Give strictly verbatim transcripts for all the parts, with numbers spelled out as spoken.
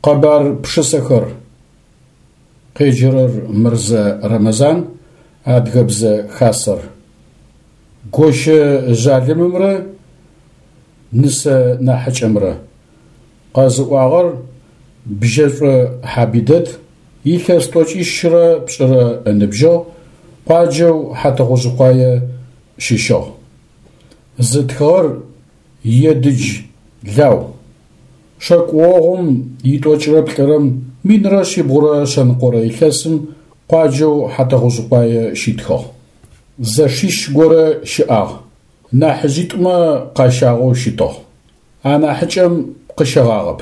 Къэбар пшысэхэр. Къеджэрэр Мырзэ Рэмэзан, Адыгэбзэ Хасэр. Гощэ жъалымымрэ нысэ нахьыкӏэмрэ. Къэзыӏуагъэр Бжьэшӏо Хьабидэт, илъэс тӏокӏищрэ пшӏырэ ыныбжьыгъ, къуаджэу Хьатыгъужъыкъуае щыщыгъ. Зытхыгъэр Едыдж Лау. Шэкӏогъум итӏокӏрэ плӏырэм минрэ шъибгъурэ шъэныкъорэ илъэсым къуаджэу Хьатыгъужъыкъуае щитхыгъ. Зэшищ горэ щыӏагъ, нахьыжъитӏумэ къащагъэу щытыгъ. Анахьыкӏэм къыщэгъагъэп.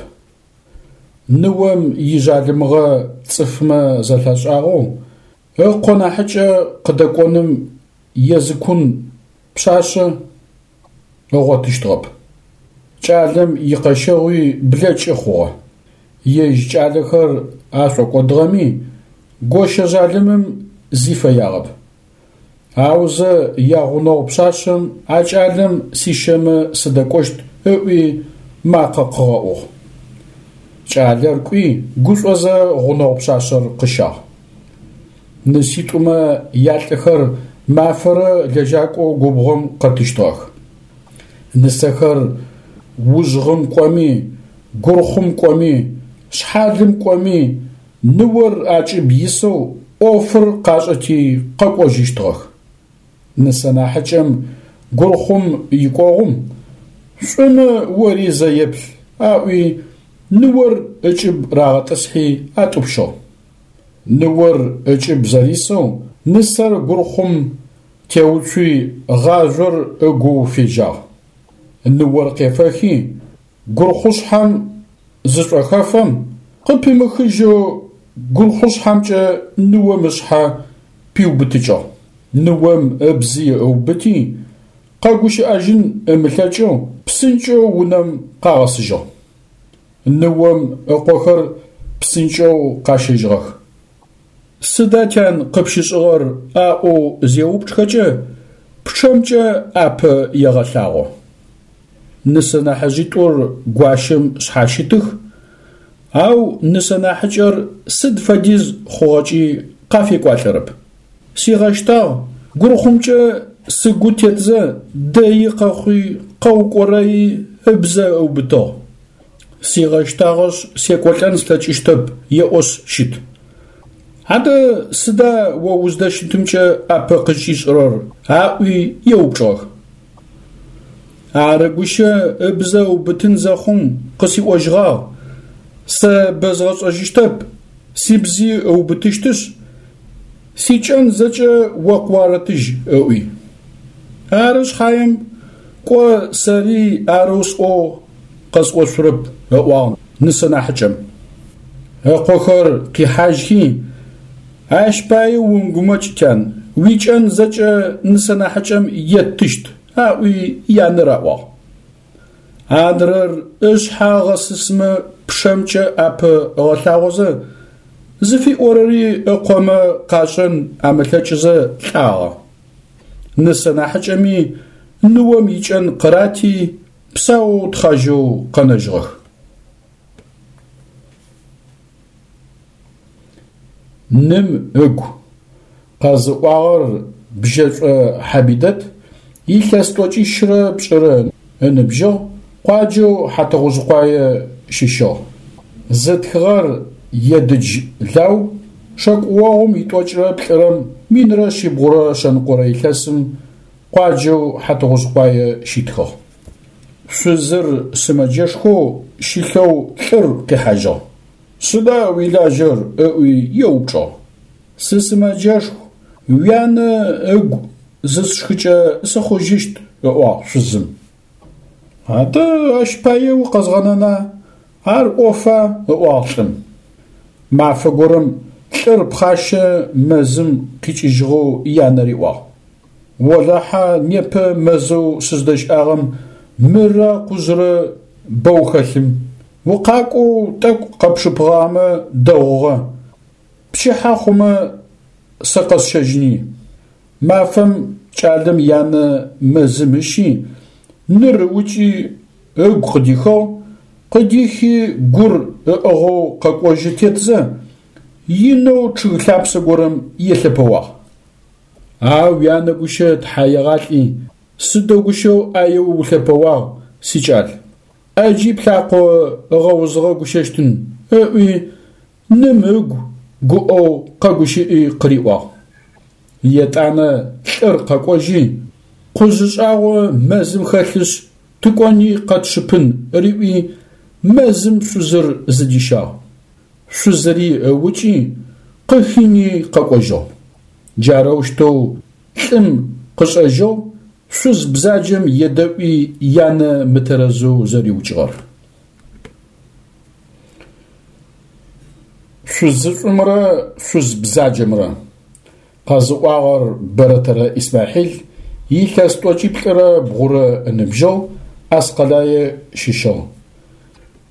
Ныом ижъалымыгъэ цӏыфмэ зэлъашӏагъэу, ыкъо нахьыкӏэ къыдэкӏоным езыкун пшъашъэ ыгъотыщтыгъэп. Кӏалэм икъэщэгъуи блэкӏы хъугъэ. Ежь кӏалэхэр ашӏокӏодыгъэми, гощэ жъалымым зи фэягъэп. Аузэ ягъунэгъу пшъашъэм а кӏалэм сищэмэ сыдэкӏощт ыӏуи макъэ къыгъэӏугъ. Кӏалэр кӏуи гушӏозэ гъунэгъу пшъашъэр къыщагъ. Ныситӏумэ ялӏыхэр мафэрэ лэжьакӏоу губгъом къэтыщтыгъэх. Нысэхэр ужъгъым кӏоми, гурхъум кӏоми, шъхьалым кӏоми, ныор акӏыб исэу ӏофыр къашӏэти къэкӏожьыщтыгъэх. Нысэ нахьыкӏэм гурхъум икӏогъум «Шӏумэ ори зэ еплъ» аӏуи ныор ыкӏыб рагъэтӏысхьи атӏупщыгъ. Ныор ыкӏыб зэрисэу нысэр гурхъум теуцуи гъажъор ыгоу фежьагъ. Ныор къефэхи гурхъушъхьэм зышӏохэфэм къыпимыхыжьэу гурхъушъхьэмкӏэ ныом ышъхьэ пиубытыкӏыгъ. Ныом ыбзи ыубыти, къэгущыӏэжьын ымылъэкӏэу псынкӏэу унэм къагъэсыжьыгъ. Ныом ыкъохэр псынкӏэу къащэжьыгъэх. Сыда тян къыпщышӏыгъэр аӏоу зеупчӏхэкӏэ пчъэмкӏэ ӏапэ егъэлъагъо. Нысэ нахьыжъитӏур гуащэм шъхьащытых, ау нысэ нахьыкӏэр сыд фэдиз хъугъэкӏи къафекӏуалӏэрэп. Сигъэщтагъ, гурхъумкӏэ сыгу тетзэ дэи къэхъуи къэукӏорэи ыбзэ ыубытыгъ. Сигъэщтагъэшъ секӏолӏэн слъэкӏыщтэп еӏошъ щыт. Адэ сыда о уздэщытымкӏэ ӏапэ къызкӏишӏырэр? Аӏуи еупчӏыгъэх. Ары гущэ ыбзэ ыубытын зэхъум къысиӏожьыгъагъ: «Сэ бэзгъэшӏэжьыщтэп, сибзи ыубытыщтышъ, сикӏэн зэкӏэ о къыуарэтыжь» ыӏуи. Ары шъхьаем, кӏо сэри арэу сӏоу къэсӏошъурэп, ыӏуагъ нысэ нахьыкӏэм. Ыкъохэр къихьажьхи, ащ пае умыгумэкӏ, тян, уикӏэн зэкӏэ нысэ нахьыкӏэм еттыщт, аӏуи янэ раӏуагъ. Адрэр ышъхьэ ыгъэсысмэ пчъэмкӏэ ӏапэ ыгъэлъагъозэ, зыфиӏорэри ыкъомэ къашӏэн амылъэкӏызэ лӏагъэ. Нысэ нахьыкӏэми ныом икӏэн къырати, псаоу тхъажьэу къэнэжьыгъэх. Ным ыгу. Къэзыӏуагъэр Бжьэшӏо Хьабидэт, илъэс тӏокӏищрэ пшӏырэ ыныбжьыгъ, къуаджэу Хьатыгъужъыкъуае щыщыгъ. Зытхыгъэр Едыдж Лау, шэкӏогъум итӏокӏрэ плӏырэм минрэ шъибгъурэ шъэныкъорэ илъэсым къуаджэу Хьатыгъужъыкъуае щитхыгъ. Шъузыр сымэджэшхоу щылъэу лӏыр къихьажьыгъ. Сыда уилажьэр? Ыӏуи еупчӏыгъ. Сысымэджэшху, уянэ ыгу зысшхыкӏэ сыхъужьыщт, ыӏуагъ шъузым. Адэ ащ пае укъэзгъэнэна, ар ӏофа, ыӏуагъ лӏым. Мафэ горэм лӏыр пхъащэ мэзым къикӏыжьыгъэу янэ риӏуагъ: Олахьэ непэ мэзэу сыздэщыӏагъэм мырэ къужърэ бэу хэлъым. Укъакӏоу тӏэкӏу къэпшыпыгъэмэ дэгъугъэ. Пчыхьэ хъумэ сэ къэсщэжьыни. Мафэм кӏалэм янэ мэзым ыщи, ныр ыукӏи ыгу къыдихыгъ, Къыдихи гур ыӏыгъэу къэкӏожьы тетзэ, инэу чъыг лъапсэ горэм елъэпэуагъ. А уянэ гущэ тхьаегъалӏи, сыдэу гущэу ӏаеу улъэпэуагъ, сикӏал, ӏэджи плъакъо ыгъэузыгъэ гущэщтын, ыӏуи ным ыгу гуӏэу къэгущыӏи къыриӏуагъ. Етӏанэ лӏыр къэкӏожьи, къужъы шӏагъо мэзым хэлъышъ, тыкӏони къэтшыпын, риӏуи мэзым шъузыр зыдищагъ. Шъузыри ыукӏи, къыхини къэкӏожьыгъ. Джарэущтэу лӏым къышӏэжьыгъ шъуз бзаджэм едэӏуи янэ мытэрэзэу зэриукӏыгъэр. Шъузышӏумрэ шъуз бзаджэмрэ. Къэзыӏуагъэр Бэрэтэрэ Исмахьил, илъэс тӏокӏиплӏырэ бгъурэ ыныбжьыгъ, Аскъэлае щыщыгъ.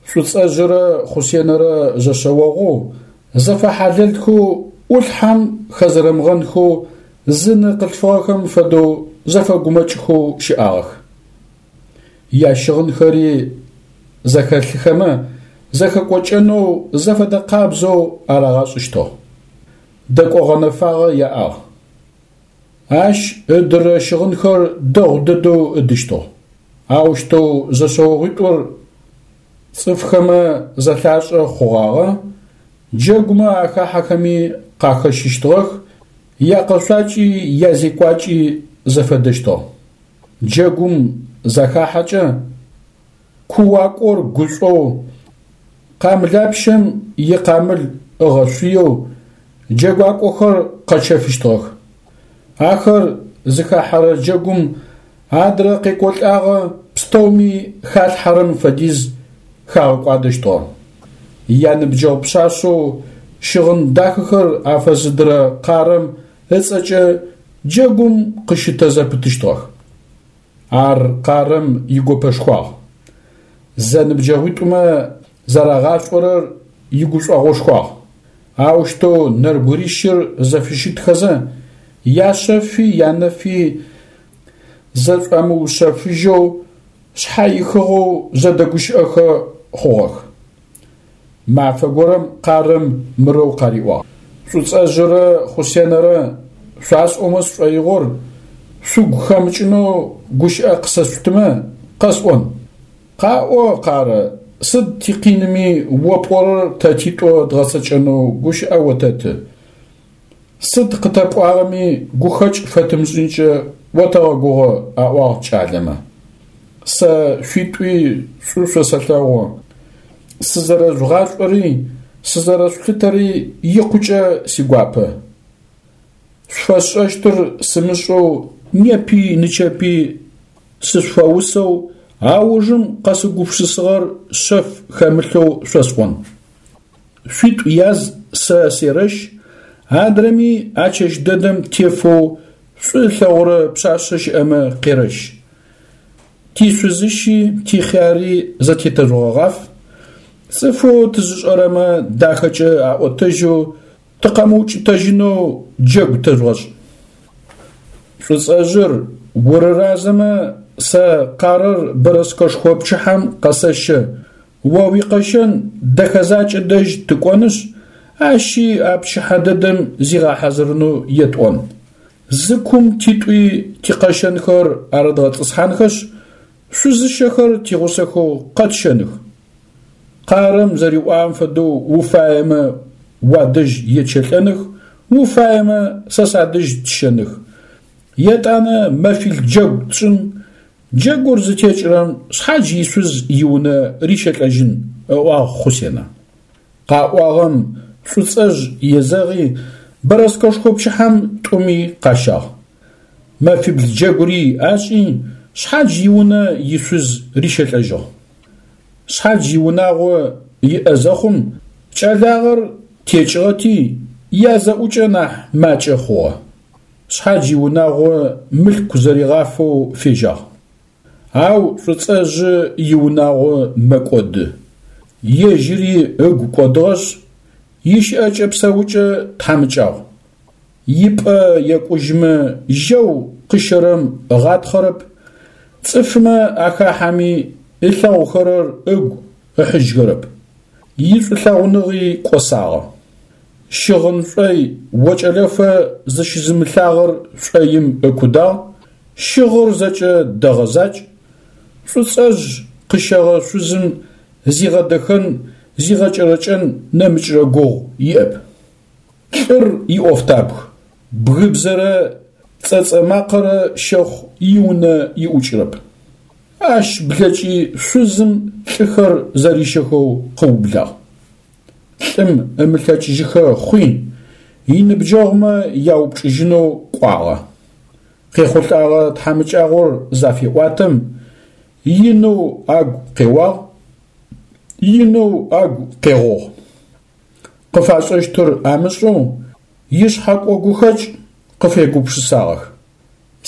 Шӏуцӏэжъырэ Хъусенэрэ зэшъэогъоу, зэфэхьалэлхэу, ӏулъхьэм хэзэрэмыгъэнхэу, зы ны къылъфыгъэхэм фэдэу зэфэгумэкӏхэу щыӏагъэх. Ящыгъынхэри зэхэлъыхэмэ, зэхэкӏокӏэнэу зэфэдэ къабзэу арагъэшӏыщтыгъ. Дэкӏо гъэнэфагъэ яӏагъ. Ащ ыдырэ щыгъынхэр дэгъу дэдэу ыдыщтыгъ. Аущтэу зэшъэогъуитӏур цӏыфхэмэ зэлъашӏэ хъугъагъэ, джэгумэ ахахьэхэми къахэщыщтыгъэх, якъэшъуакӏи язекӏуакӏи зэфэдэщтыгъ. Джэгум захахьэкӏэ кууакӏор гушӏоу, къамылапщэм икъамыл ыгъэшъуеу джэгуакӏохэр къэчэфыщтыгъэх. Ахэр зыхахьэрэ джэгум адрэ къекӏолӏагъэ пстэуми халъхьэрэм фэдиз хагъэкӏуадэщтыгъэ. Яныбджэгъу пшъашъэу щыгъын дахэхэр афэзыдырэ Къарэм ыцӏэкӏэ джэгум къыщытэзэпытыщтыгъэх. Ар Къарэм игопэшхуагъ. Зэныбджэгъуитӏумэ зэрагъашӏорэр игушӏогъошхуагъ. Аущтэу нэбгырищыр зэфыщытхэзэ, яшъэфи янэфи зэшӏуамыушъэфыжьэу шъхьаихыгъэу зэдэгущыӏэхэ хъугъэх. Мафэ горэм Къарэм мырэу къариӏуагъ: Шӏуцӏэжъырэ Хъусенэрэ шъуасӏомэ сшӏоигъор шъугу хэмыкӏынэу гущыӏэ къысэшъутымэ, къэсӏон. Къаӏо, Къарэ, сыд тикъиными о пӏорэр тэ титӏо дгъэцэкӏэнэу гущыӏэ отэты. Сыд къытэпӏуагъэми гухэкӏ фэтымышӏынкӏэ отэгъэгугъэ, аӏуагъ кӏалэмэ. Сэ шъуитӏуи шӏу шъосэлъэгъу, сызэрэжъугъашӏори сызэрэшъулъытэри икъукӏэ сигуапэ. Шъуфэсшӏэщтыр сымышӏэу непи нычэпи сышъуфэусэу аужым къэсыугупшысыгъэр шъэф хэмылъэу шъосӏон. Шъуитӏу яз сэ серэщ, адрэми а чэщ дэдэм тефэу шӏу ылъэгъурэ пшъашъэ щыӏэмэ къерэщ. Тишъузыщи тихъяри зэтетэжъугъэгъаф, цӏыфэу тызышӏэрэмэ дахэкӏэ аӏотэжьэу тыкъэмыукӏытэжьынэу джэгу тэжъугъэшӏ. Шӏуцӏэжъыр, урыразэмэ, сэ Къарэр бэрэскэшхо пчыхьэм къэсэщэ, о уикъэщэн Дэхэзакӏэ дэжь тыкӏонышъ, ащи а пчыхьэ дэдэм зигъэхьазырынэу етӏон. Зы кум титӏуи тикъэщэнхэр арыдгъэтӏысхьанхэшъ, шъузыщэхэр тигъусэхэу къэтщэных. Къарэм зэриӏуагъэм фэдэу уфаемэ уадэжь етщэлӏэных, уфаемэ сэ садэжь тщэных. Етӏанэ мэфил джэгу тшӏын, джэгур зытекӏырэм шъхьадж ишъуз иунэ рищэлӏэжьын, ыӏуагъ Хъусенэ. Къаӏуагъэм Шӏуцӏэжъ езэгъи, бэрэскэшхо пчыхьэм тӏуми къащагъ. Мэфибл джэгури ашӏи, шъхьадж иунэ ишъуз рищэлӏэжьыгъ. Шъхьадж иунагъо иӏэ зэхъум, кӏэлагъэр текӏыгъэти, язэӏукӏэ нахь макӏэ хъугъэ. Шъхьадж иунагъо мылъку зэригъафэу фежьагъ. Ау Шӏуцӏэжъы иунагъо мэкӏоды. Ежьыри ыгу кӏодыгъэшъ, ищыӏэкӏэ-псэукӏэ тхьамыкӏагъу. Ипӏэ екӏужьымэ жьэу къыщэрэм ыгъатхъэрэп, цӏыфмэ ахахьэми ылъэгъухэрэр ыгу ыхьыжьхэрэп. Ишӏулъэгъуныгъи кӏосагъэ. Щыгъын шӏой окӏэлэфэ зыщызымылъагъэр шӏоим ыкудагъ, щыгъыр зэкӏэ дэгъэ закӏ, Шӏуцӏэжъ къыщэгъэ шъузым зигъэдэхэн, зигъэкӏэрэкӏэн нэмыкӏрэ гугъу иӏэп. Лӏыр иӏофтабг, бгыбзэрэ цӏэцӏэ макъэрэ щэхъу иунэ иӏукӏырэп. Ащ блэкӏи шъузым лӏыхэр зэрищэхэу къыублагъ. Лӏым ымылъэкӏыжьыхэ хъуи, иныбджэгъумэ яупчӏыжьынэу кӏуагъэ. Къехъулӏэгъэ тхьамыкӏагъор зафеӏуатэм, инэу агу къеуагъ, инэу агу къегъугъ. Къыфашӏэщтыр амышӏэу ишъхьэкӏо-гухэкӏ къыфегупшысагъэх.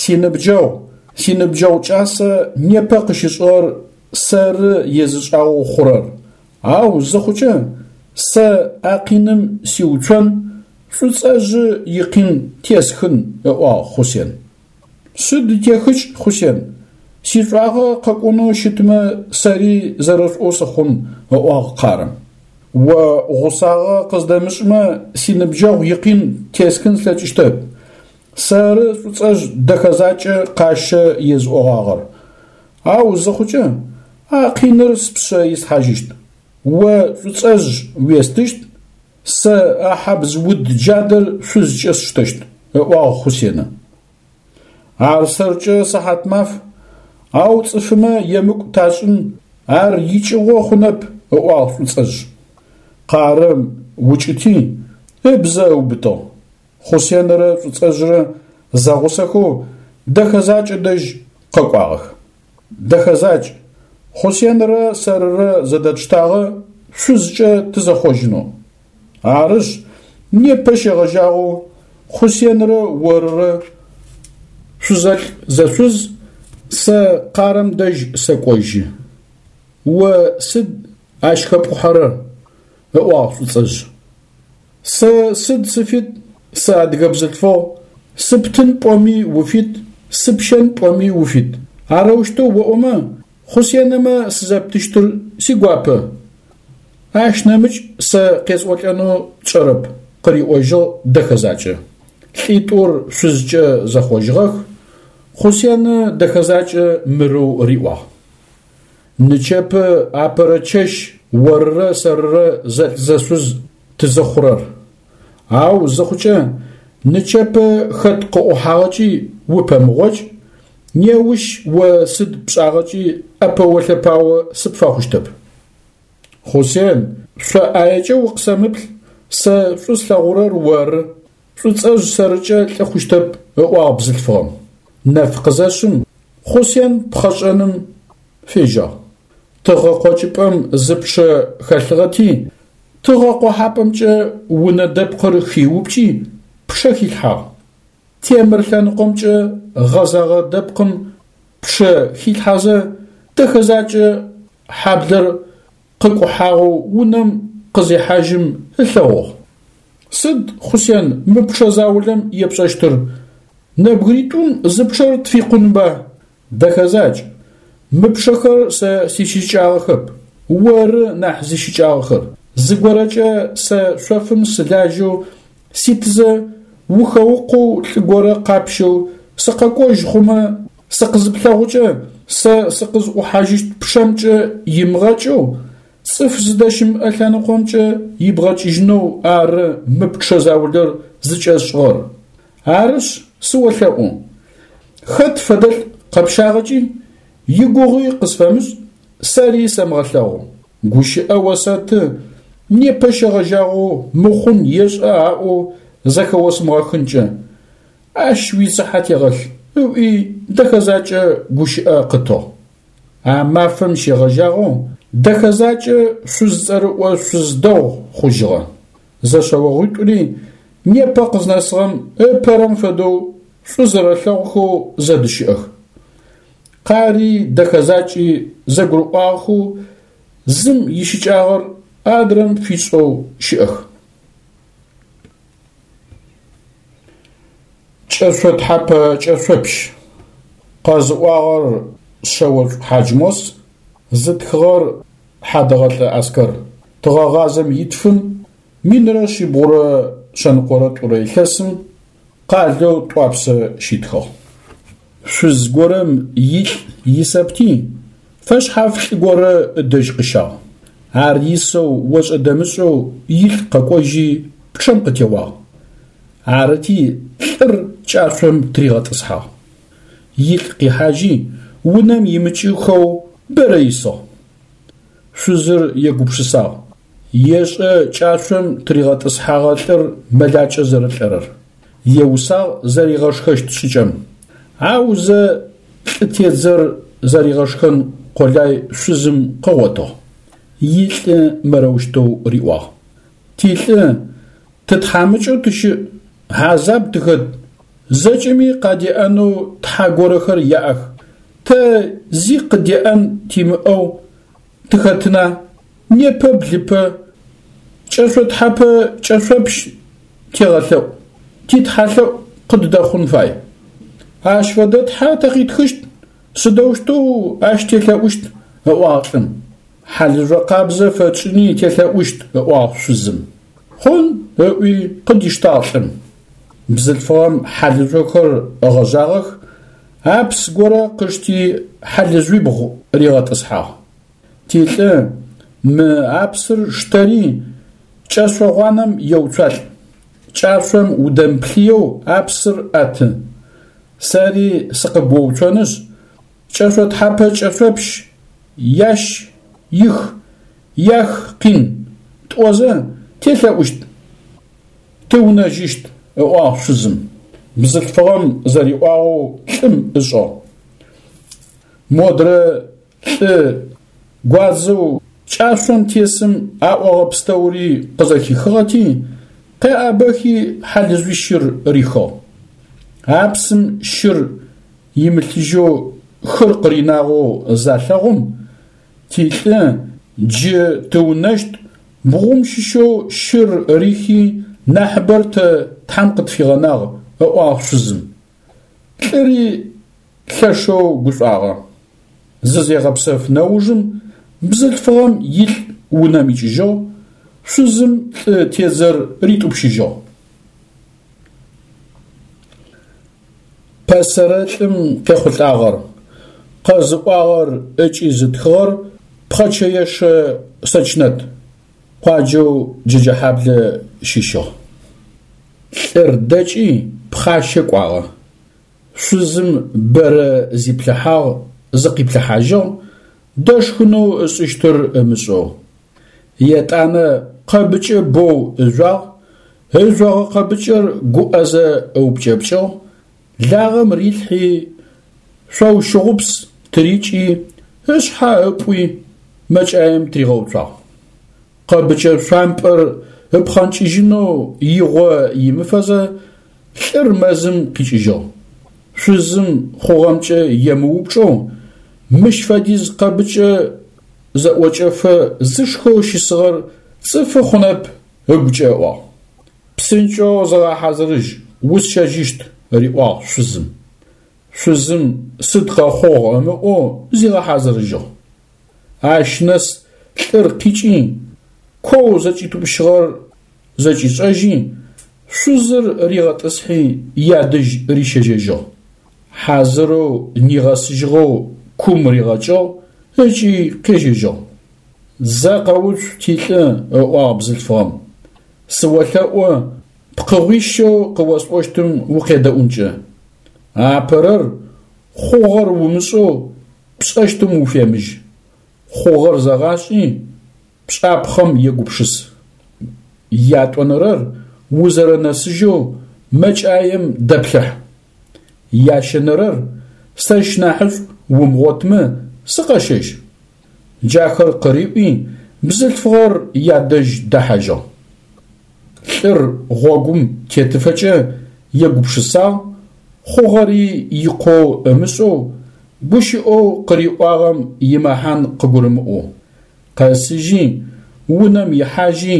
Синыбджэгъу, синыбджэгъу кӏасэ непэ къыщышӏыгъэр сэры езышӏагъэу хъурэр, ау зыхъукӏэ сэ а къиным сиуцон, Шӏуцӏэжъы икъин тесхын, ыӏуагъ Хъусен. Сыд техыкӏ, Хъусен, сишӏуагъэ къэкӏонэу щытмэ сэри зэрэшӏоу сыхъун, ыӏуагъ Къарэм. О гъусагъэ къыздэмышӏмэ синыбджэгъу икъин тесхын слъэкӏыщтэп. Сэры Шӏуцӏэжъ Дэхэзакӏэ къащэ езыӏогъагъэр. Ау зыхъукӏэ а къиныр спшъэ ислъхьажьыщт. О Шӏуцӏэжъ уестыщт, сэ а хьабз уд джадэр шъузкӏэ сштэщт, ыӏуагъ Хъусенэ. Ар сэркӏэ сыхьат маф, ау цӏыфымэ емыкӏу ташӏын, ар икӏыгъо хъунэп, ыӏуагъ Шӏуцӏэжъ. Къарэм укӏыти, ыбзэ ыубытыгъ. Хъусенэрэ Шӏуцӏэжърэ зэгъусэхэу Дэхэзакӏэ дэжь къэкӏуагъэх. Дэхэзакӏ, Хъусенэрэ сэрырэ зэдэтштагъэ шъузкӏэ тызэхъожьынэу. Арышъ, непэ щегъэжьагъэу Хъусенрэ орырэ шъузэлӏ-зэшъуз, сэ Къарэм дэжь сэкӏожьы. О сыд ащ хэпӏухьэрэр? ыӏуагъ Шӏуцӏэжъ. Сэ сыд сыфит, сыадыгэ бзылъфыгъ, сыптын пӏоми уфит, сыпщэн пӏоми уфит. Арэущтэу оӏомэ, Хъусенэмэ сызэптыщтыр сигуапэ. Ащ нэмыкӏ сэ къесӏолӏэнэу тшӏэрэп, къыриӏожьыгъ Дэхэзакӏэ. Лӏитӏур шъузкӏэ зэхъожьыгъэх, Хъусенэ Дэхэзакӏэ мырэу риӏуагъ. Нычэпэ апэрэ чэщ орырэ сэрырэ зэлӏ-зэшъуз тызыхъурэр. Ау зыхъукӏэ нычэпэ хэт къыӏухьагъэкӏи упэмыгъокӏ, неущ о сыд пшӏагъэкӏи ӏэпэо-лъэпао сыпфэхъущтэп. Хъусен, шъо ӏаекӏэ укъысэмыплъ, сэ шӏу слъэгъурэр оры, Шӏуцӏэжъ сэркӏэ лӏы хъущтэп, ыӏуагъ бзылъфыгъэм. Нэф къызэшъым, Хъусен пхъэшӏэным фежьагъ. Тыгъэ къокӏыпӏэм зы пчъэ хэлъыгъэти, тыгъэ къохьапӏэмкӏэ унэ дэпкъыр хиупкӏи, пчъэ хилъхьагъ. Темыр лъэныкъомкӏэ гъэзэгъэ дэпкъым пчъэ хилъхьэзэ, Дэхэзакӏэ хьаблэр къыкӏухьагъэу унэм къызехьажьым ылъэгъугъ. Сыд, Хъусен, мы пчъэ заулэм епшӏэщтыр? Нэбгыритӏум зы пчъэр тфикъунба? Дэхэзакӏ, мы пчъэхэр сэ сищыкӏагъэхэп, оры нахь зищыкӏагъэхэр. Зыгорэкӏэ сэ шъофым сылажьэу ситызэ ухэукъоу лӏы горэ къапщэу сыкъэкӏожь хъумэ сыкъызыплъэгъукӏэ сэ сыкъызӏухьажьыщт пчъэмкӏэ имыгъэкӏэу, цӏыф зыдэщымыӏэ лъэныкъомкӏэ ибгъэкӏыжьынэу ары мы пчъэ заулэр зыкӏэсшӏыгъэр. Арышъ, сыолъэӏу, хэт фэдэлӏ къэпщагъэкӏи, игугъуи къысфэмышӏ, сэри сэмыгъэлъэгъу. Гущыӏэ осэты, непэ щегъэжьагъэу мыхъун ешӏэ аӏоу зэхэосымыгъэхынкӏэ. Ащ уицыхьэ тегъэлъ, ыӏуи Дэхэзакӏэ гущыӏэ къытыгъ. А мафэм щегъэжьагъэу Дэхэзакӏэ шъуз цӏэрыӏо шъуз дэгъу хъужьыгъэ. Зэшъэогъуитӏури непэ къызнэсыгъэм ыпэрэм фэдэу шӏу зэрэлъэгъухэу зэдыщыӏэх. Къари Дэхэзакӏи зэгурыӏуагъэхэу зым ищыкӏагъэр адрэм фишӏэу щыӏэх. Кӏэшъо тхьапэ кӏэшъопщ. Къэзыӏуагъэр Шъэошӏу Хьаджмос, зытхыгъэр Хьадэгъэлӏэ Аскэр. Тыгъэгъазэм итфым минрэ шъибгъурэ шъэныкъорэ тӏурэ илъэсым къалэу Тӏуапсэ щитхыгъ. Шъуз горэм илӏ исэпти, фэшъхьаф лӏы горэ ыдэжь къыщагъ. Ар исэу ошӏэ-дэмышӏэу илӏ къэкӏожьи пчъэм къытеуагъ. Арыти лӏыр кӏашъом тыригъэтӏысхьагъ. Илӏ къихьажьи унэм имыкӏыхэу бэрэ исыгъ. Шъузыр егупшысагъ: ешӏэ кӏашъом тыригъэтӏысхьагъэ лӏыр мэлакӏэ зэрэлӏэрэр. Еусагъ зэригъэшхэщт шӏыкӏэм. Аузэ лӏы тедзэр зэригъэшхэн къолай шъузым къыгъотыгъ. Илӏы мырэущтэу риӏуагъ: Тилӏы тытхьамыкӏэу тыщыӏ, хьазаб тыхэт, зэкӏэми къадеӏэнэу тхьэ горэхэр яӏэх, тэ зи къыдеӏэн тимыӏэу тыхэтына, непэ блыпэ, кӏэшъо тхьапэ кӏэшъопщ тегъэлъэӏу, титхьалъэӏу къыддэхъун фай. Ащ фэдэ тхьэ тэ къитхыщт, сыдэущтэу ащ телъэӏущт, ыӏуагъ лӏым. Хьалыжъо къабзэ фэтшӏыни телъэӏущт, ыӏуагъ шъузым. Хъун, ыӏуи къыдиштагъ лӏым. Бзылъфыгъэм хьалыжъохэр ыгъэжъагъэх, апс горэ къышти хьалыжъуибгъу ригъэтӏысхьагъ. Тилӏы мы апсыр штэри кӏэшъо гъуанэм еуцуалӏ. Кӏашъом удэмыплъыеу апсыр ӏэты. Сэри сыкъыбгоуцонышъ, кӏэшъо тхьапэ кӏэшъопщ, ящ, их, ях къин, тӏозэ телъэӏущт, тыунэжьыщт, ыӏуагъ шъузым. Бзылъфыгъэм зэриӏуагъэу лӏым ышӏыгъ. Модрэ лӏы гуадзэу кӏашъом тесым аӏогъэ пстэури къызэхихыгъэти, къеӏабэхи хьалыжъуищыр рихыгъ. Апсым щыр имылъыжьэу хыр къыринагъэу залъэгъум, тилӏы джы тыунэщт бгъум щыщэу щыр рихи нахьыбэр тэ Тхьэм къытфигъэнагъ, ыӏуагъ шъузым. Лӏыри лъэшэу гушӏуагъэ. Зызегъэпсэф нэужым бзылъфыгъэм илӏ унэм икӏыжьыгъ, шъузым лӏы тедзэр ритӏупщыжьыгъ. Пэсэрэ лӏым къехъулӏагъэр, къэзыӏуагъэр ыкӏи зытхыгъэр Пхъэчэешэ Сэчнэт, къуаджэу Джэджэхьаблэ щыщыгъ. Лӏыр дэкӏи пхъащэ кӏуагъэ. Шъузым бэрэ зиплъыхьагъ, зыкъиплъыхьажьыгъ, дэшхынэу ышӏыщтыр ымышӏэу. Етӏанэ къэбыкӏэ боу ыжъуагъ, ыжъогъэ къэбыкӏэр гуӏэзэ ыупкӏэпкӏыгъ, лагъэм рилъхьи, шъоущыгъупс тырикӏи, ышъхьэ ыпӏуи мэкӏаем тыригъэуцуагъ. Къэбыкӏэ шъуампӏэр ыпхъэнкӏыжьынэу игъо имыфэзэ лӏыр мэзым къикӏыжьыгъ. Шъузым хъугъэмкӏэ емыупчӏэу, мыщ фэдиз къэбыкӏэ зэӏокӏэфэ зышхэу щысыгъэр цӏыфы хъунэп ыгукӏэ ыӏуагъ. Псынкӏэу зыгъэхьазырыжь, усщэжьыщт, риӏуагъ шъузым. Шъузым сыд къэхъугъ ымыӏоу зигъэхьазырыжьыгъ. Ащ нэс лӏыр къикӏи, коу зэкӏитӏупщыгъэр зэкӏишӏэжьи, шъузыр ригъэтӏысхьи ядэжь рищэжьэжьыгъ. Хьазырэу нигъэсыжьыгъэу кум ригъэкӏыгъ ыкӏи къежьэжьыгъ. Зэ къэуцу тилӏы, ыӏуагъ бзылъфыгъэм. Сыолъэӏу пкъыгъуищэу къыосӏощтым укъедэӏункӏэ. Апэрэр хъугъэр умышӏэу пшӏэщтым уфемыжь. Хъугъэр зэгъашӏи, пшӏапхъэм егупшыс. Ятӏонэрэр узэрэнэсыжьэу мэкӏаем дэплъыхь. Ящэнэрэр сэщ нахьышӏу умыгъотмэ сыкъэщэжь. Джахэр къыриӏуи, бзылъфыгъэр ядэжь дэхьажьыгъ. Лӏыр гъогум тетыфэкӏэ егупшысагъ, хъугъэри икъоу ымышӏэу, гущыӏэу къыриӏуагъэм имэхьан къыгурымыӏоу. Къэсыжьи, унэм ихьажьи,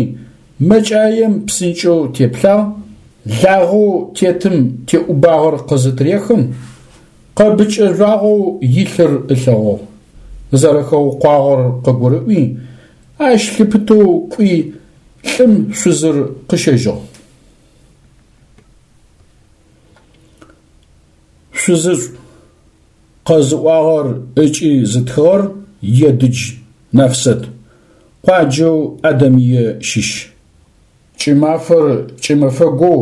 мэкӏаем псынкӏэу теплъагъ, лагъэу тетым теӏубагъэр къызытырехым, къэбыкӏэ жъуагъэу илъыр ылъэгъугъ. Зэрэхэукъуагъэр къыгурыӏуи, Ащ лъыпытэу кӏуи лӏым шъузыр къыщэжьыгъ. Шъузышӏу къэзыӏуагъэр ыкӏи зытхыгъэр Едыдж Нэфсэт, къуаджэу Адэмые щыщ. Кӏымафэр кӏымэфэгоу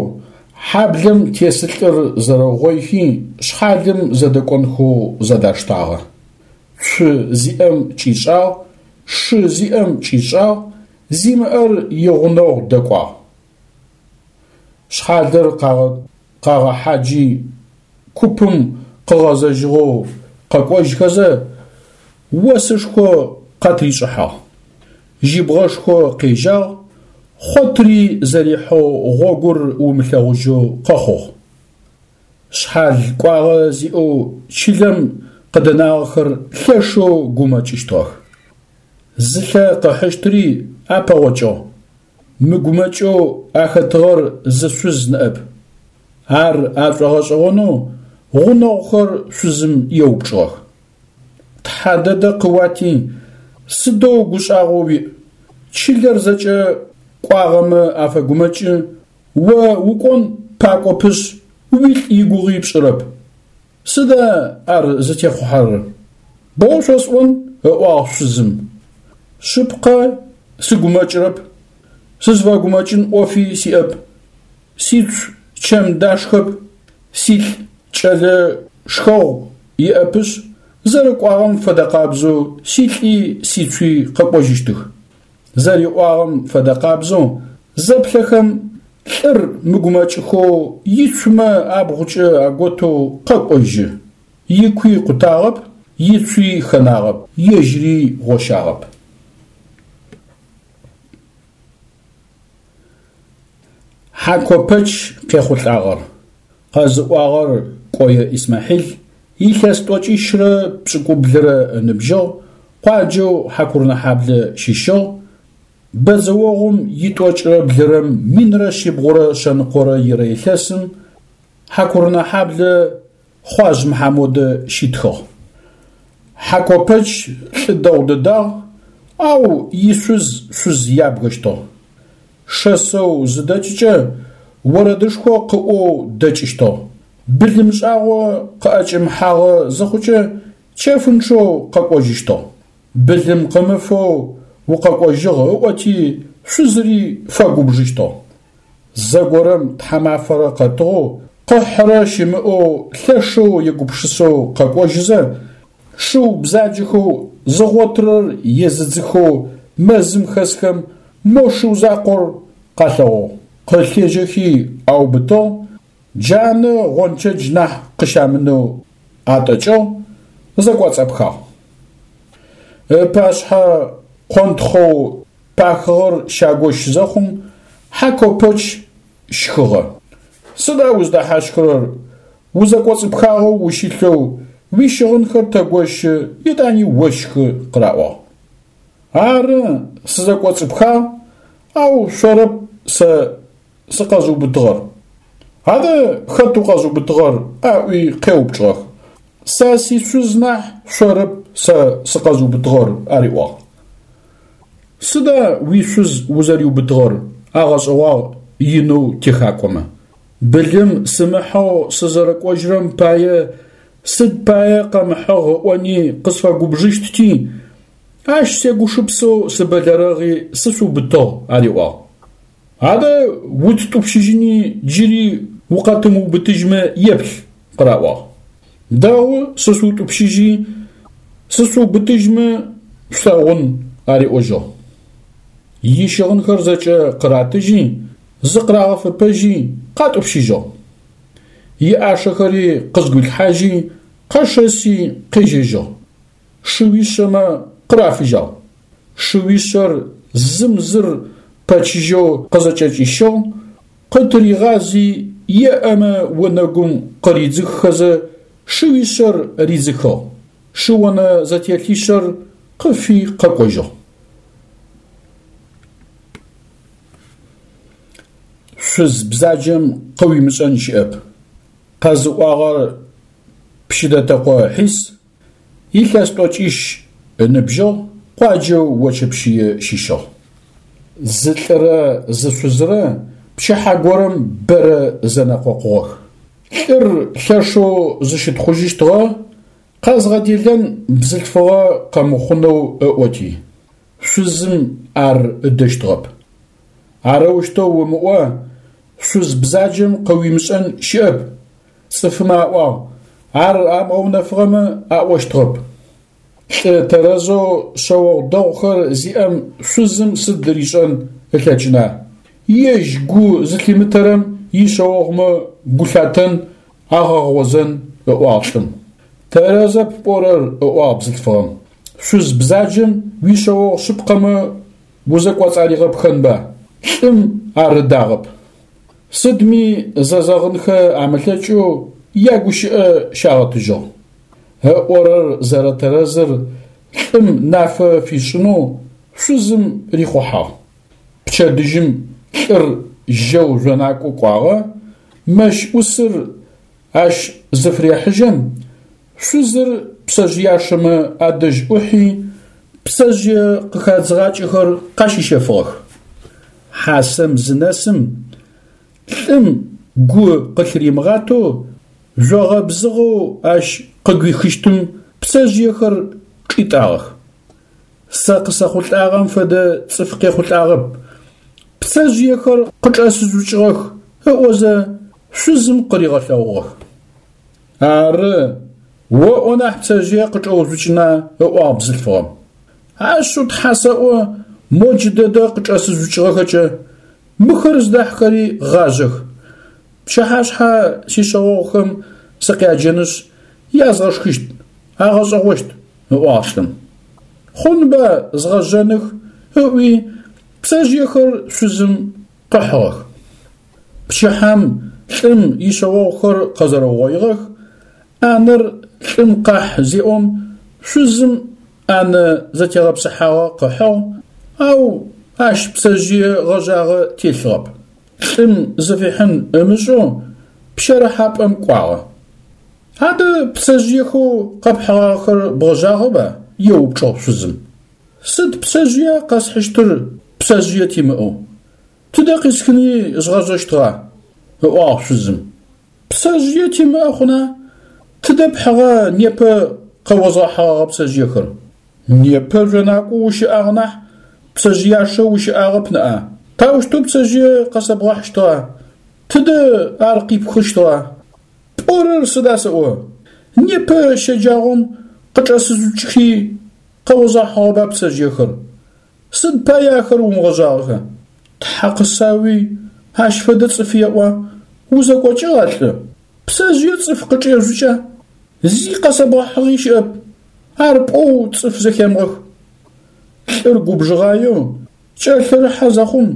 хьаблэм тесылӏыр зэрэугъоихи шъхьалым зэдэкӏонхэу зэдаштагъэ. Цу зиӏэм кӏишӏагъ, шы зиӏэм кӏишӏагъ, зимыӏэр игъунэгъу дэкӏуагъ. Шъхьалыр къагъэхьаджи купым къыгъэзэжьыгъэу къэкӏожьхэзэ осышхо къатришӏыхьагъ. Жьыбгъэшхо къежьагъ, хъотыри зэрихьэу гъогур умылъэгъужьэу къэхъугъ. Шъхьал кӏуагъэ зиӏэу чылэм къыдэнагъэхэр лъэшэу гумэкӏыщтыгъэх. Зылъэ къыхьыщтыри апэгъокӏыгъ. Мыгумэкӏэу ахэтыгъэр зы шъуз ныӏэп. Ар ашӏогъэшӏэгъонэу гъунэгъухэр шъузым еупчӏыгъэх. Тхьэ дэдэ къыуати, сыдэу гушӏагъо уиӏ, чылэр зэкӏэ кӏуагъэмэ афэгумэкӏы, о укӏон пакӏопышъ уилӏ игугъи пшӏырэп. Сыда ар зытехъухьэрэр? Боу шъосӏон, ыӏуагъ шъузым. Шъыпкъэ сыгумэкӏырэп, сызфэгумэкӏын ӏофи сиӏэп. Сицу чэм дашхэп, силӏ кӏэлэ шхэгъу иӏэпышъ, зэрэкӏуагъэм фэдэкъабзэу силӏи сицуи къэкӏожьыщтых. Зэриӏуагъэм фэдэкъабзэу зэплъэхэм лӏыр мыгумэкӏыхэу ицумэ абгъукӏэ аготэу къэкӏожьы. Икуи къутагъэп, ицуи хэнагъэп, ежьыри гъощагъэп. Хьакопэч къехъулӏагъэр. Къэзыӏуагъэр Кӏое Исмахьил, илъэс тӏокӏищрэ пшӏыкӏублырэ ыныбжьыгъ, къуаджэу Хьакурынэхьаблэ щыщыгъ, бэдзэогъум итӏокӏрэ блырэм минрэ шъибгъурэ шъэныкъорэ ирэ илъэсым Хьакурынэхьаблэ Хъуажъ Мыхьамодэ щитхыгъ. Хьакопэч лӏы дэгъу дэдагъ, ау ишъуз шъуз ябгэщтыгъ. Шэсэу зыдэкӏыкӏэ орэдышхо къыӏоу дэкӏыщтыгъ. Былым шӏагъо къыӏэкӏэмыхьагъэ зыхъукӏэ чэфынчъэу къэкӏожьыщтыгъ. Былым къымыфэу укъэкӏожьыгъ ыӏоти шъузыри фэгубжыщтыгъ. Зэгорэм тхьамафэрэ къэтыгъэу, къыхьырэ щымыӏэу лъэшэу егупшысэу къэкӏожьызэ, шыу бзаджэхэу зыгъотырэр езыдзыхэу мэзым хэсхэм мо шыу закъор къалъэгъугъ. Къылъежьэхи аубытыгъ, джанэ гъончэдж нахь къыщамынэу атӏэкӏыгъ, зэкӏоцӏапхагъ. Ыпашъхьэ къонтхъоу пахыгъэр щагощ зэхъум Хьакопэч щхыгъэ. Сыда уздэхьащхырэр, узэкӏоцӏыпхагъэу ущылъэу, уищыгъынхэр тэгощы, етӏани ощхы къыраӏуагъ. Ары, сызэкӏоцӏыпхагъ, ау шъорэп сэ сыкъэзыубытыгъэр. Адэ хэт укъэзыубытыгъэр? Аӏуи къеупчӏыгъэх. Сэ сишъуз нахь шъорэп сэ сыкъэзыубытыгъэр, ариӏуагъ. Сыда уишъуз узэриубытыгъэр? Агъэшӏэгъуагъ инэу техакӏомэ. Былым сымыхьэу сызэрэкӏожьырэм пае сыд пае къэмыхьыгъ ыӏони къысфэгубжыщтти, ащ сегушыпсэу сыбэлэрэгъи сышъуубытыгъ, ариӏуагъ. Адэ уттӏупщыжьыни джыри укъэтымыубытыжьмэ еплъ, къыраӏуагъ. Дэгъу сышъутӏупщыжьи сышъуубытыжьмэ шъулъэгъун, ариӏожьыгъ. Ищыгъынхэр зэкӏэ къыратыжьи, зыкъырагъэфэпэжьи къатӏупщыжьыгъ. Иӏашэхэри къызгуилъхьажьи, къэшэси къежьэжьыгъ. Шыуишъэмэ къырафыжьагъ. Шыуишъэр зым зыр пэчыжьэу къызэкӏэкӏищыгъ, къытыригъази еӏэмэ онэгум къыридзыххэзэ шыуишъэр ридзыхыгъ. Шыонэ зэтелъишъэр къыфи къэкӏожьыгъ. Шъуз бзаджэм къыуимышӏэн щыӏэп. Къэзыӏуагъэр Пщыдатэкъо Хьис, илъэс тӏокӏищ ыныбжьыгъ, къуаджэу Очэпщые щыщыгъ. Зы лӏырэ зы шъузырэ пчыхьэ горэм бэрэ зэнэкъокъугъэх. Лӏыр лъэшэу зыщытхъужьыщтыгъэ, къэзгъэделэн бзылъфыгъэ къэмыхъунэу ыӏоти, шъузым ар ыдэщтыгъэп. Арэущтэу умыӏо, шъуз бзаджэм къыуимышӏэн щыӏэп, цӏыфмэ аӏуагъ, ар амыгъэунэфыгъэмэ аӏощтыгъэп. Лӏы тэрэзэу шъэогъу дэгъухэр зиӏэм шъузым сыд ришӏэн ылъэкӏына? Ежь гу зылъимытэрэм ишъэогъумэ гу лъатэн, агъэгъозэн, ыӏуагъ лӏым. Тэрэзэп пӏорэр, ыӏуагъ бзылъфыгъэм. Шъуз бзаджэм уишъэогъу шъыпкъэмэ узэкӏоцӏаригъэпхэнба? Лӏым ар ыдагъэп. Сыдми зэзэгъынхэ амылъэкӏэу ягущыӏэ щагъэтыжьыгъ. Ыӏорэр зэрэтэрэзыр лӏым нафэ фишӏынэу шъузым рихъухьагъ. Пчэдыжьым лӏыр жьэу жъонакӏо кӏуагъэ, мэщ ӏусыр ащ зыфырехьыжьэм, шъузыр пцэжъыяшэмэ адэжь ӏухьи, пцэжъые къыхадзыгъакӏэхэр къащищэфыгъэх. Хьасэм зынэсым, лӏым гу къылъыримыгъатэу жъогъэ бзыгъэу ащ къыгуихыщтым пцэжъыехэр чӏитӏагъэх. Сэ къысэхъулӏагъэм фэдэ цӏыф къехъулӏагъэп, пцэжъыехэр къычӏэсыжъукӏыгъэх ыӏозэ шъузым къыригъэлъэгъугъэх. Ары, оӏо нахь пцэжъые къычӏэужъукӏына, ыӏуагъ бзылъфыгъэм. Ашъыу тхьа сэӏо, мо джыдэдэ къычӏэсыжъукӏыгъэхэкӏэ, мыхэр зыдахьхэри гъажъэх. Пчыхьашъхьэ сишъэогъухэм сыкъяджэнышъ, язгъэшхыщт, агъэшӏэгъощт, ыӏуагъ лӏым. Хъунба згъэжъэных, ыӏуи пцэжъыехэр шъузым къыхьыгъэх. Пчыхьэм лӏым ишъэогъухэр къэзэрэугъоигъэх, ӏанэр лӏым къахь зеӏом, шъузым ӏанэ зэтегъэпсыхьагъэ къыхьыгъ, ау ащ пцэжъые гъэжъагъэ телъыгъэп. Лӏым зыфихьын ымышӏэу пщэрыхьапӏэм кӏуагъэ. Адэ пцэжъыехэу къэпхьыгъагъэхэр бгъэжъагъэба? Еупчӏыгъ шъузым. Сыд пцэжъыя къэсхьыщтыр пцэжъые тимыӏэу? Тыдэ къисхыни згъэжъэщтыгъа? Ыӏуагъ шъузым. Пцэжъые тимыӏэ хъуна? Тыдэ пхьыгъа непэ къэозгъэхьыгъэгъэ пцэжъыехэр? Непэ жъонакӏо ущыӏагъ нахь пцэжъыяшэ ущыӏагъэп ныӏа? Таущтэу пцэжъые къэсэбгъэхьыщтыгъа? Тыдэ ар къипхыщтыгъа? Пӏорэр сыда сэӏо? Непэ щэджагъом къычӏэсыжъукӏхи къэозгъэхьыгъэба пцэжъыехэр? Сыд пае ахэр умыгъэжъагъэха? Тхьа къысауи, ащ фэдэ цӏыф еӏуа? Узэкӏокӏыгъа, лӏы? Пцэжъые цӏыф къычӏежъукӏа? Зи къэсэбгъэхьыгъи щыӏэп. Ар пӏоу цӏыф зэхемыгъэх. Лӏыр губжыгъаеу кӏэлъырыхьэ зэхъум,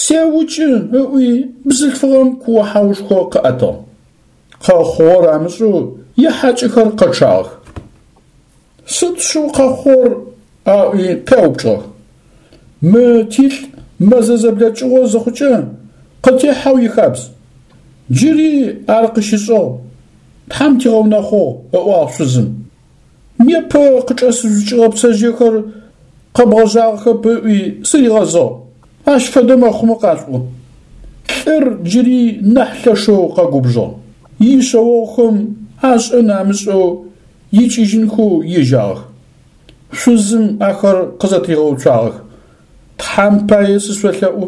сеукӏы ыӏуи бзылъфыгъэм куо-хьаушхо къыӏэтыгъ. Къэхъугъэр амышӏэу ихьакӏэхэр къэчъагъэх. Сыд шъыу къэхъугъэр? Аӏуи къяупчӏыгъэх. Мы тилӏ мэзэ зэблэкӏыгъо зыхъукӏэ къытехьэу ихабз. Джыри ар къыщышӏыгъ, Тхьэм тигъэунэхъугъ, ыӏуагъ шъузым. Непэ къычӏэсыжъукӏыгъэ пцэжъыехэр къэбгъэжъагъэхэп ыӏуи сыригъэзыгъ. Ащ фэдэ мэхъумэ къашъуӏу. Лӏыр джыри нахь лъэшэу къэгубжыгъ. Ишъэогъухэм ашӏэн амышӏэу икӏыжьынхэу ежьагъэх. Шъузым ахэр къызэтригъэуцуагъэх. Тхьэм пае сышъолъэӏу,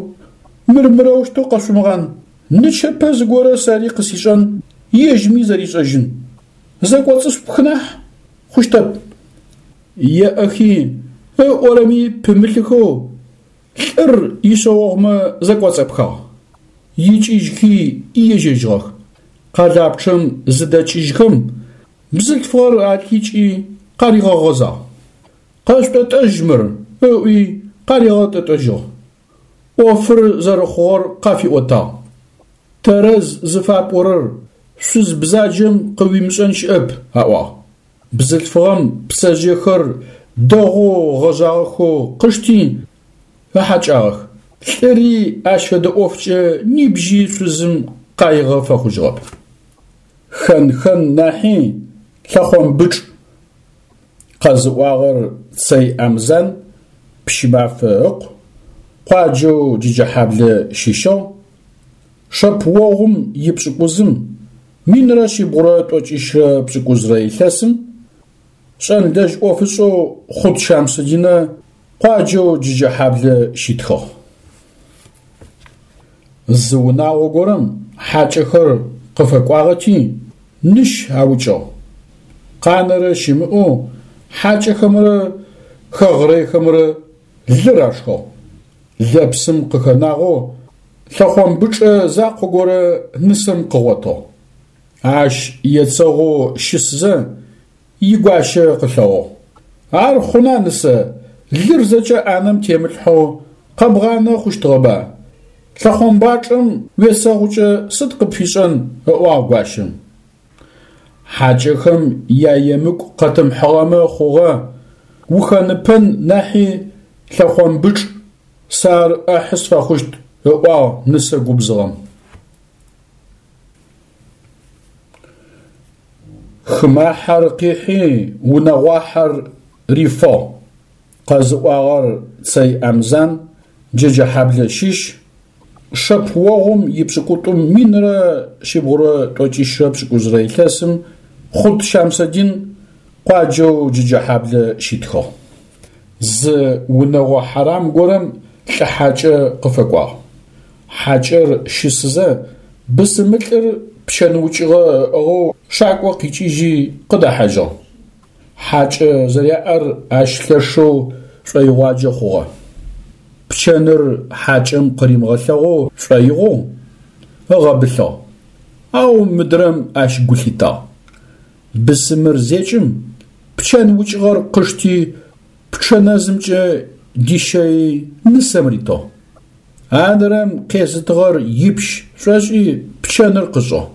мыр мырэущтэу къэшъумыгъан. Нычэпэ зыгорэ сэри къысишӏэн, ежьми зэришӏэжьын. Зэкӏоцӏышъупх нахь хъущтэп. Еӏэхи ыӏорэми пымылъыхэу лӏыр ишъэогъумэ зэкӏоцӏапхагъ. Икӏыжьхи ежьэжьыгъэх. Къэлапчъэм зыдэкӏыжьхэм, бзылъфыгъэр алъикӏи къаригъэгъэзагъ. Къэшъутӏэтӏэжь мыр, ыӏуи къаригъэтӏэтӏэжьыгъ. ӏофыр зэрэхъугъэр къафиӏотагъ. Тэрэз зыфапӏорэр шъуз бзаджэм къыуимышӏэн щыӏэп, аӏуагъ. Бзылъфыгъэм пцэжъыехэр дэгъоу гъэжъагъэхэу къышти ыхьакӏагъэх. Лӏыри ащ фэдэ ӏофкӏэ нибжьи шъузым къаигъэ фэхъужьыгъэп. Хэн-хэн нахьи лъэхъомбычӏ. Къэзыӏуагъэр Цэй Амзан, Пщымафэ ыкъу, къуаджэу Джэджэхьаблэ щыщыгъ. Шэпыогъум ипшӏыкӏузым минрэ шъибгъурэ тӏокӏищрэ пшӏыкӏузрэ илъэсым шӏэнлэжь ӏофышӏэу Хъут Щамсудинэ къуаджэу Джэджэхьаблэ щитхыгъ. Зы унагъо горэм хьакӏэхэр къыфэкӏуагъэти ныщ аукӏыгъ. Къанэрэ щымыӏэу хьакӏэхэмрэ хэгърэйхэмрэ лыр ашхыгъ. Лэпсым къыхэнагъэу лъэхъомбычӏэ закъо горэ нысэм къыгъотыгъ. Ащ ецэгъоу щысызэ игуащэ къылъэгъугъ. Ар хъуна, нысэ, лыр зэкӏэ ӏанэм темылъхьэу къэбгъанэ хъущтыгъэба? Лъэхъомбачӏэм уецэгъукӏэ сыд къыпфишӏэн, ыӏуагъ гуащэм. Хьакӏэхэм яемыкӏу къэтымыхьыгъэмэ хъугъэ, ухэныпэн нахьи лъэхъомбычӏ, сэ ар ӏэхьы сфэхъущт, ыӏуагъ нысэ губзыгъэм. Хымахьэр къихьи унэгъуахьэр рифыгъ. Къэзыӏуагъэр Цэй Амзан, Джэджэхьаблэ щыщ. Шэпыогъум ипшӏыкӏутӏум минрэ шъибгъурэ тӏокӏищрэ пшӏыкӏузрэ илъэсым Хъут Щамсудин къуаджэу Джэджэхьаблэ щитхыгъ. Зы унэгъо хьарам горэм лӏы хьакӏэ къыфэкӏуагъ. Хьакӏэр щысызэ бысымылӏыр пчэн укӏыгъэ ыӏыгъэу шакӏо къикӏыжьи къыдэхьажьыгъ. Хьакӏэ зэряӏэр ащ лъэшэу шӏоигъуаджэ хъугъэ. Пчэныр хьакӏэм къыримыгъэлъэгъоу шӏоигъоу ыгъэбылъыгъ. Ау мыдрэм ащ гу лъитагъ. Бысымыр зекӏым пчэн укӏыгъэр къышти пчъэ нэзымкӏэ дищэи нысэм ритыгъ. Адрэм къезытыгъэр ипщ шӏошӏи пчэныр къышӏыгъ.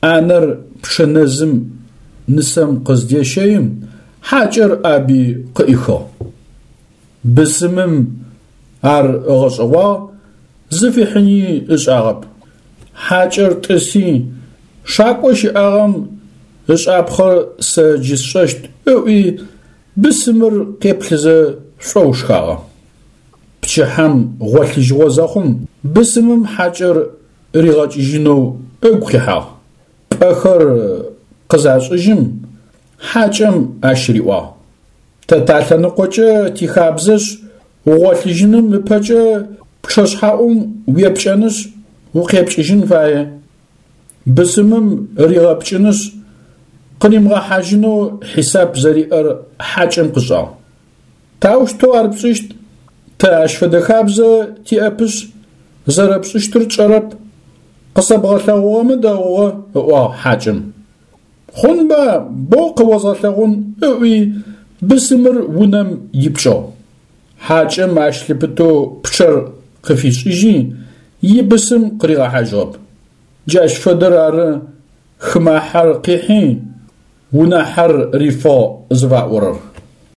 Ӏанэр пчъэ нэзым нысэм къыздещэим хьакӏэр ӏаби къыӏихыгъ. Бысымым ар ыгъэшӏэгъуагъ, зыфихьыни ышӏагъэп. Хьакӏэр тӏыси, шакӏо щыӏагъэм ышӏапхъэр сэ джы сшӏэщт ыӏуи бысымыр къеплъызэ шӏоу шхагъэ. Пчыхьэм гъолъыжьыгъо зэхъум бысымым хьакӏэр ригъэкӏыжьынэу ыгу къихьагъ. Пӏэхэр къызашӏыжьым хьакӏэм ащ риӏуагъ: Тэ талъэныкъокӏэ тихабзэшъ, угъолъыжьыным ыпэкӏэ пчъэшъхьаӏум уепкӏэнышъ укъепкӏыжьын фае. Бысымым ригъэпкӏынышъ къыримыгъэхьажьынэу хьисап зэриӏэр хьакӏэм къышӏагъ. Таущтэу ар пшӏыщт? Тэ ащ фэдэ хабзэ тиӏэпышъ, зэрэпшӏыщтыр тшӏэрэп. Къысэбгъэлъэгъугъэмэ дэгъугъэ, ыӏуагъ хьакӏэм. Хъунба, боу къыозгъэлъэгъун, ыӏуи бысымыр унэм ипкӏыгъ. Хьакӏэм ащ лъыпытэу пчъэр къыфишӏыжьи ибысым къыригъэхьажьыгъэп. Джащ фэдэр ары хымахьэр къихьи унахьэр рифыгъ зыфаӏорэр.